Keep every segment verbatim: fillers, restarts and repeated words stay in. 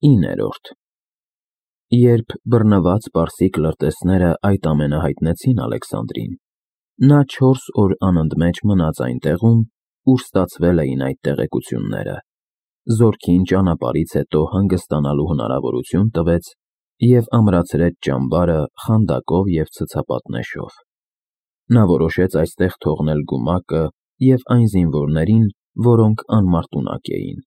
իններորդ Երբ բռնված պարսիկ լրտեսները այդ ամենը հայտնեցին Ալեքսանդրին, նա չորս օր անընդմեջ մնաց այն տեղում, ուր ստացվել էին այդ տեղեկությունները, զորքին ճանապարհից հետո հանգստանալու հնարավորություն տվեց և ամրացրեց ճամբարը խանդակով և ցցապատնեշով։ Նա որոշեց այստեղ թողնել գումակը և այն զինվորներին, որոնք անմարտունակ էին,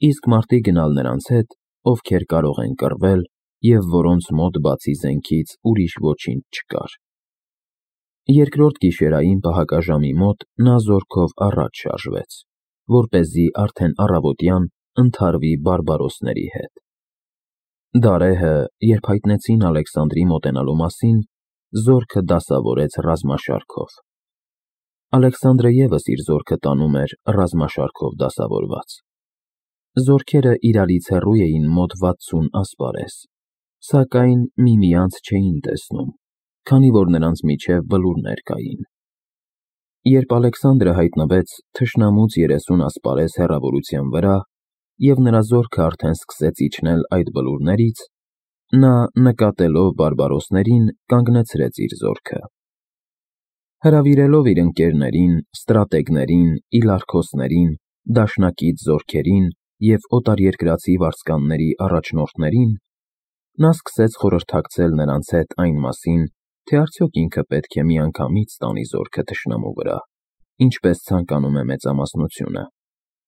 իսկ մարտի գնալ նրանց հետ, ովքեր կարող են կռվել և որոնց մոտ բացի զենքից ուրիշ ոչինչ չկար։ Երկրորդ գիշերային պահակաժամի մոտ նա զորքով առաջ շարժվեց, որպեսզի արդեն առավոտյան ընդհարվի բարբարոսների հետ։ Դարեհը, երբ հայտնեցին Ալեքսանդրի մոտենալու մասին, զորքը դասավորեց ռազմաշարքով։ Ալեքսանդրը ևս իր զորքը տանում էր ռազմաշարքով դասավորված։ Զորքերը իրարից հեռու էին մոտ վաթսուն ասպարեզ, սակայն միմյանց չէին տեսնում, քանի որ նրանց միջև բլուրներ կային։ Երբ Ալեքսանդրը հայտնվեց թշնամուց երեսուն ասպարեզ հեռավորության վրա, և նրա զորքը արդեն սկսեց իջնել այդ բլուրներից, նա, նկատելով բարբարոսներին, կանգնեցրեց իր զորքը։ Հրավիրելով իր ընկերներին, ստրատեգներին, իլարքոսներին, դաշնակից զորքերին և օտարերկրացի վարձկանների առաջնորդներին, նա սկսեց խորհրդակցել նրանց հետ այն մասին, թե արդյոք ինքը պետք է միանգամից տանի զորքը թշնամու վրա, ինչպես ցանկանում է մեծամասնությունը,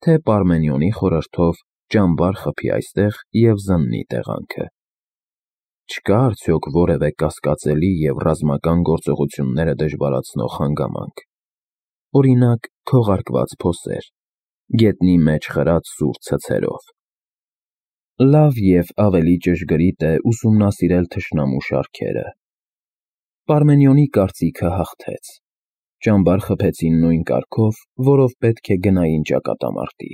թե Պարմենիոնի խորհրդով ճամբար խփի այստեղ և զննի տեղանքը։ Չկա՞ արդյոք որևէ կասկածելի և ռազմական գործողությունները դժվարացնող հանգամանք, օրինակ, քողարկված փոսեր, գետնի մեջ խրած սուր ցցերով։ Լավ և ավելի ճշգրիտ է ուսումնասիրել թշնամու շարքերը։ Պարմենիոնի կարծիքը հաղթեց։ Ճամբար խփեցին նույն կարգով, որով պետք է գնային ճակատամարտի։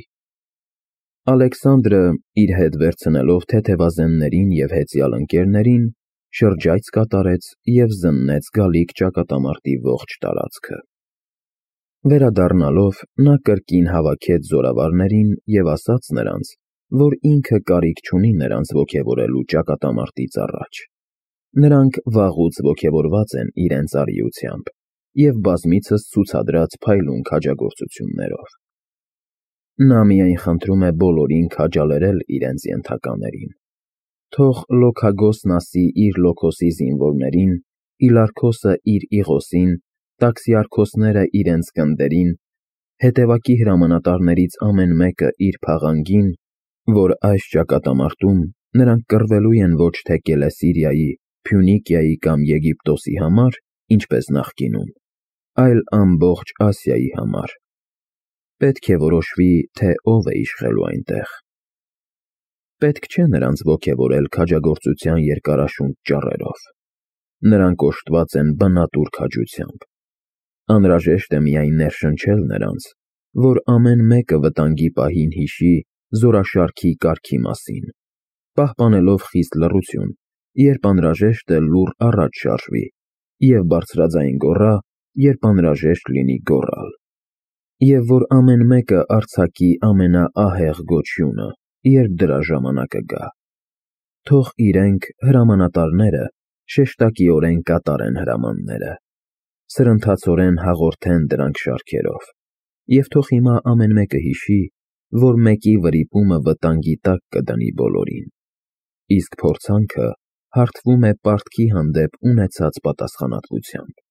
Ալեքսանդրը, իր հետ վերցնելով թեթևազեններին և հեծյալ ընկերներին, շրջայց կատարեց և զննեց գալիք ճակատամարտի ողջ տարածքը։ Վերադառնալով, նա կրկին հավաքեց զորավարներին և ասաց նրանց, որ ինքը կարիք չունի նրանց ոգևորելու ճակատամարտից առաջ։ Նրանք վաղուց ոգևորված են իրենց արիությամբ և բազմիցս ցուցադրած փայլուն քաջագործություններով։ Նա միայն խնդրում է բոլորին քաջալերել իրենց ենթականերին։ Թող Լոքագոսն ասի իր Լոքոսի զինվորներին, Իլարքոսը իր Իղոսին, տաքսիարքոսները իրենց գնդերին, հետևակի հրամանատարներից ամեն մեկը իր փաղանգին, որ այս ճակատամարտում նրանք կռվելու են ոչ թե Կելեսիրիայի, Փյունիկիայի կամ Եգիպտոսի համար, ինչպես նախկինում, այլ ամբողջ Ասիայի համար։ Պետք է որոշվի, թե ով է իշխելու այնտեղ։ Պետք չէ նրանց ոգևորել քաջագործության երկարաշունչ ճառերով։ Նրանք օժտված են բնատուր քաջությամբ։ Անհրաժեշտ է միայն ներշնչել նրանց, որ ամեն մեկը վտանգի պահին հիշի զորաշարքի կարգի մասին, պահպանելով խիստ լռություն, երբ անհրաժեշտ է լուռ առաջ շարժվի, և բարձրաձայն գոռա, երբ անհրաժեշտ լինի գոռալ, և որ ամեն մեկը արձակի ամենաահեղ գոչյունը, երբ դրա ժամանակը գա։ Թող իրենք, հրամանատարները, շեշտակիորեն կատարեն հրամանները, սրընթացորեն հաղորդեն դրանք շարքերով, և թող հիմա ամեն մեկը հիշի, որ մեկի վրիպումը վտանգի տակ կդնի բոլորին, իսկ փորձանքը հարթվում է պարտքի հանդեպ ունեցած պատասխանատվությամբ։